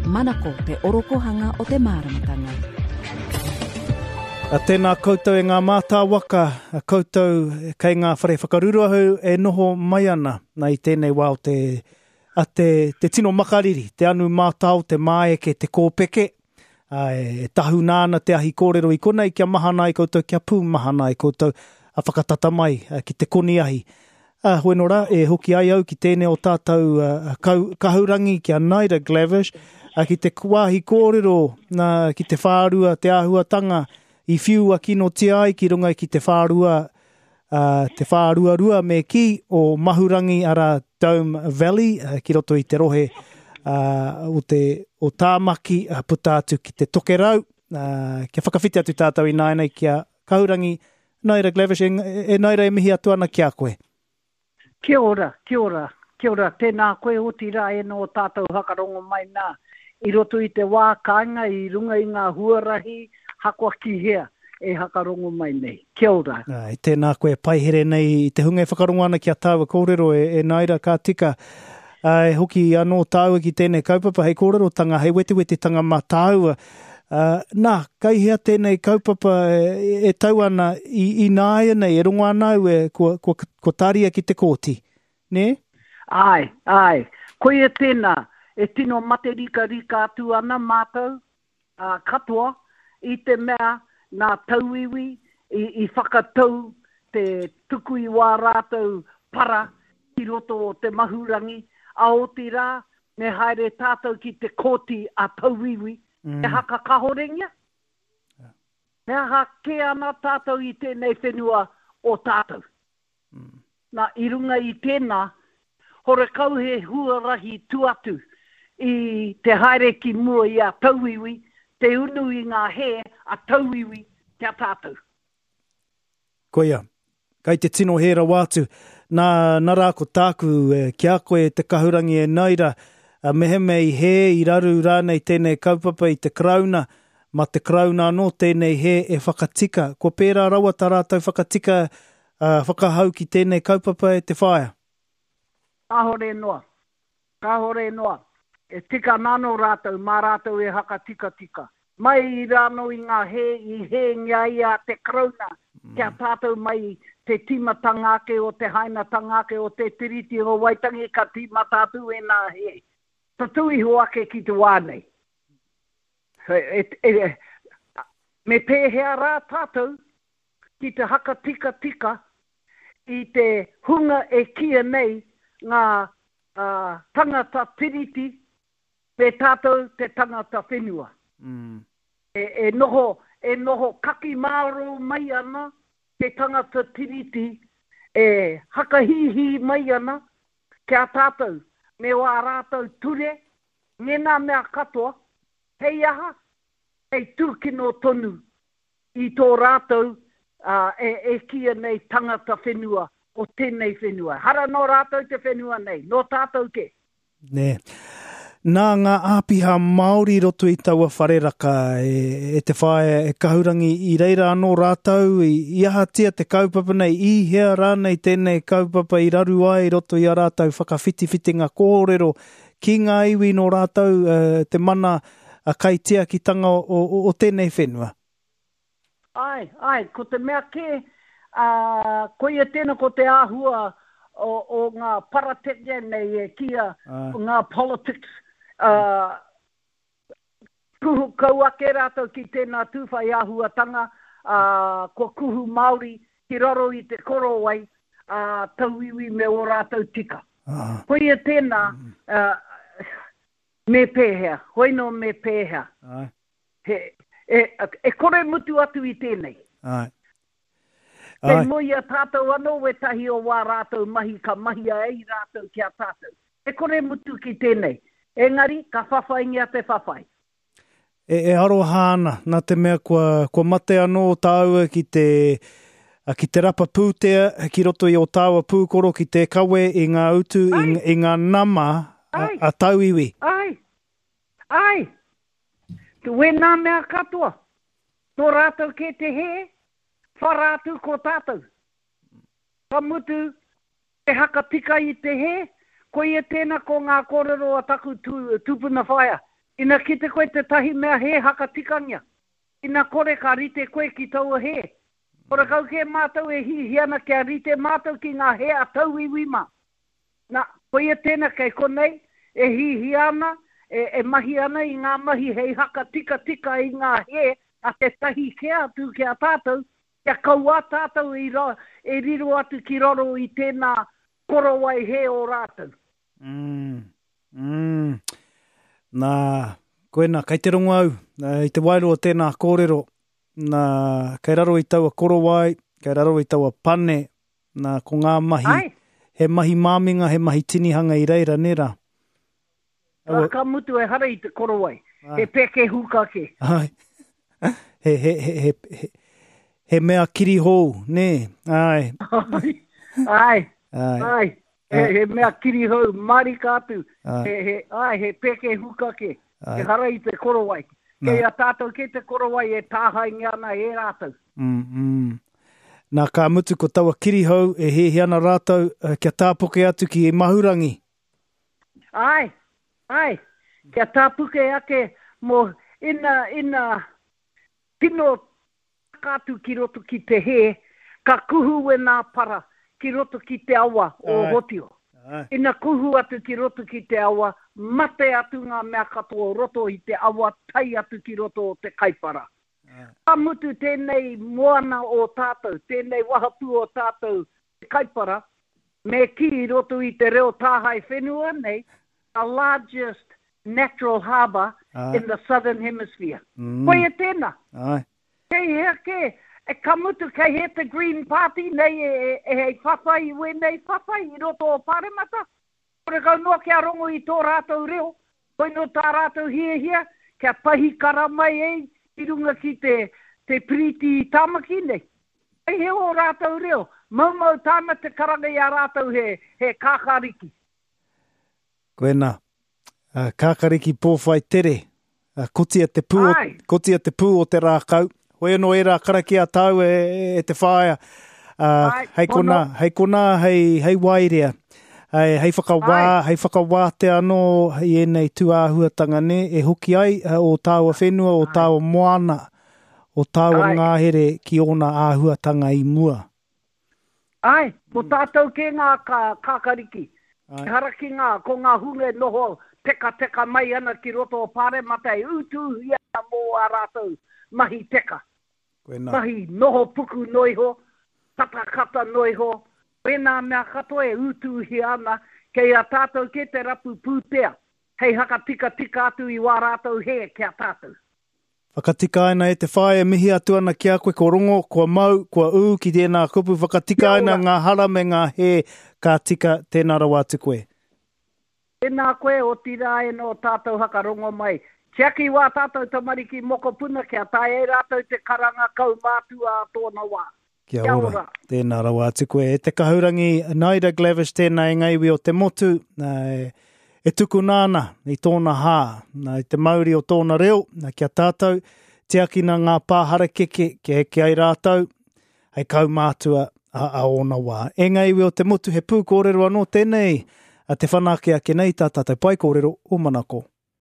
Manako te orokohanga o te māramatanga. A tēnā koutou e ngā mātāwaka, a koutou kei ngā whare whakaruruahu e noho mai ana na i tēnei wā o te, a te, te tino makariri, te anu mātao, te māeke, te kōpeke, a, e tahuna ana te ahi kōrero i konei kia mahana ai koutou, kia pūmahana ai koutou, a whakatata mai ki te koni ahi. Ā, hoeno rā, e hoki ai au ki tēnei o tātou kau, kahurangi, ki a Naida Glavish, ā, ki te wāhi kōrero, nā, ki te whārua, te āhuatanga i whiua kinotia ai ki runga ki te whārua, ā, te whāruarua me kī, o Mahurangi, arā, Dome Valley, ki roto i te rohe, ā, o te, o Tāmaki, ā, puta atu ki te Tokerau, ā, kia whakawhiti atu tātou ināianei ki a Kahurangi Naira Glavish, e, e Naira e mihi atu ana ki a koe. Kia ora, kia ora, kia ora, tēnā koe otirā e nō tātou whakarongo mai nā i roto i te wā kāinga i runga i ngā huarahi hakoa ki hea e hakarongo mai nei. Kia ora. Āe, tēnā koe e paihere nei i te hunga e whakarongo ana ki a tāua kōrero e, e Naira, ka tika. Ā, e hoki anō tāua ki tēnei kaupapa hei kōrerotanga, hei wetewetetanga mā tāua. Ā, nā, kei hea tēnei kaupapa e, e tau ana i, ināianei, e rongo ana au e, kua, kua, kua tāria ki te kōti, nē? Āe, āe. Koia tēnā, e tino materikarika atu ana mātou, ā, katoa, i te mea nā tauiwi i, i whakatau te tuku i wā rātou para ki roto o Te Mahurangi, ā, otirā, me haere tātou ki te kōti a tauiwi, he haka kahorengia? He aha kē ana tātou i tēnei whenua o tātou? Nā, i runga i tēnā, horekau he huarahi tu atu i te haere ki mua i a tauiwi, te unu i ngā hē a tauiwi ki a tātou. Koia. Kai te tino hē rawa atu. Nā, nā rā ko tāku ki a koe e te kahurangi e Naira, mehemea i hē, i raru rānei tēnei kaupapa i te Karauna, mā te Karauna anō tēnei hē e whakatika. Kua pērā rawa tā rātou whakatika Ā, whakahau ki tēnei kaupapa e te whaea. Kāhore noa. Kāhore noa. E tika ana anō rātou, mā rātou e hakatikatika. Mai i rānō i ngā hē i hēngia ai a te Karauna ki a tātou mai te tīmatanga ake o te hainatanga ake o te Tiriti o Waitangi ka tīmata atu ēnā hē. Tatū iho ake ki te wā nei. Me pēhea rā tātou ki te hakatikatika i te hunga e kīia nei ngā tangata tiriti me tātou te tangata whenua. E noho, e noho kaki mārō mai ana te tangata tiriti e hakahīhī mai ana ki a tātou me wā rātou ture, ngēnā mea katoa, hei aha? Hei tūkino tonu i tō rātou e kīia nei tangata whenua o tēnei whenua. Ehara nō rātou te whenua nei, nō tātou kē. Nē. Nā ngā āpiha Māori i roto i taua whare raka e, e te whaea e Kahurangi, i reira anō rātou, i, i ahatia te kaupapa nei, i hea rānei tēnei kaupapa i raru ai i roto i a rātou whakawhitiwhitinga kōrero ki ngā iwi nō rātou te mana kaitiakitanga o, o, o tēnei whenua. Āe, āe, ko te mea kē, ā, koia tēnā ko te āhua o, o ngā parateke nei e kīia, ngā politics, ā, kuhu kau ake rātou ki tēnā tūwhai āhuatanga, ā, kua kuhu Māori ki raro i te korowai, ā, tauiwi me ō rātou tika. Koia tēnā, ā, me pēhea, hoino me pēhea. Āe. He, e, e kore mutu atu i tēnei. Āe. Kei moe i a tātou anō wētahi o wā rātou mahi ka mahia ai rātou ki a tātou. E kore mutu ki tēnei. Engari, ka whawhaingia te whawhai. E, e aroha ana, nā te mea kua, kua mate anō tāua ki te, ki te rapa pūtea ki roto i ō tāua pūkoro ki te kawe i ngā utu, i, i ngā nama a, a tauiwi. Ai, ai, Wēnā mea katoa, nō rātou kē te hē, whara atu ko tātou. Ka mutu, te haka tika i te hē, koia tēnā ko ngā kōrero a taku tupuna whaea. Ina kite koe tētahi mea hē hakatikangia, ina kore ka rite koe ki taua hē. Horekau kē mātou e hihia ana kia rite mātou ki ngā hē a tauiwi mā. Na, koia tēnā kei konei e hihia ana, e, e mahi ana i ngā mahi hei hakatikatika i ngā hē a tētahi kē atu ki a tātou, kia kauā tātou i ra, e riro atu ki raro i tēnā korowai hē o rātou. Mm. Mm. Nā, koina, kei te rongo au, i te wairua o tēnā kōrero, nā, kei raro i taua korowai, kei raro i taua pane, nā, ko ngā mahi, Ai. he mahi māminga, he mahi tinihanga i reira, nē rā? Aua... Ka mutu ehara i te korowai, Ai. he peke huka kē. Ai. He, he, he, he, he, he mea kirihou, nē? Ai. Ai. Ai. Ai. Ai. He, he mea kirihou marika atu, he, he, ai, he peke huka kē, ehara i te korowai. Kei a tātou kē te korowai e tāhaingia ana e rātou. Mm, mm. Nā, ka mutu ko taua kirihou e hiahia ana rātou kia tāpuke atu ki Mahurangi. Āe, āe, kia tāpuke ake mō ina, ina tino Taka atu ki roto ki te hē, ka kuhu wēnā para ki roto ki te awa o Hotio. Ina kuhu atu ki roto ki te awa, mate atu ngā mea katoa o roto i te awa tae atu ki roto o te Kaipara. Ka mutu tēnei moana o tātou, tēnei wahapū o tātou te Kaipara, me kī i roto i te reo tāhae whenua nei, the largest natural harbour in the southern hemisphere. Mm. Koia tēnā. Ai. Kei hea kē, e, ka mutu kei hea te Green Party nei e, e, e hei whawhai i wēnei whawhai i roto o Pāremata? Horekau noa kia rongo i tō rātou reo, koino tā rātou hiahia kia pahikara mai ei ki runga ki te, te piriti i Tāmaki nei. Kei hea ō rātou reo, maumau tāna te karanga i a rātou he, he kākāriki. Koina. Kākariki pōwhai tere. Kotia te pū, o, kotia te pū o te rākau. Hoi anō ērā karakia tāu e, e te whaea. Uh, hei konā, hei konā, hei, hei wairea. Hei, hei whakawā, Ai. hei whakawātea anō i ēnei tūāhuatanga nē, e hoki ai o tāua whenua, o tāua moana, o tāua ngahere ki ōna āhuatanga i mua. Āe, ko tātou kē ngā kākariki. Ehara ki ngā, ko ngā hunga e noho tekateka mai ana ki roto o Pāremata e utuuhia ana mō ā rātou mahi teka. Koinā. Mahi noho puku noa iho, katakata noa iho, wēnā mea katoa e utuuhia ana, kei a tātou kē te rapu pūtea hei hakatikatika atu i wā rātou hē ki a tātou. Whakatikaina e te whaea mihi atu ana ki a koe ko rongo, kua mau, kua ū ki tēnā kupu whakatikaina ngā hara me ngā hē ka tika tēnā rawa atu koe. Tēnā koe, otirā e nō tātou hakarongo mai. Tiaki wā tātou tamariki mokopuna kia taea e rātou te karanga kaumātua a tōna wā. Kia ora. Kia ora. Tēnā rawa atu koe. E te kahurangi, Naida Glavish tēnā e ngā iwi o te motu, e tukuna ana i tōna hā, i te mauri o tōna reo, kia tātou, tiakina ngā pā harakeke kia eke ai rātou, hei kaumātua a, a ōna wā. E ngā iwi o te motu, he pūkōrero anō tēnei, a te whanake ake nei tā tātou pae kōrero o Manako.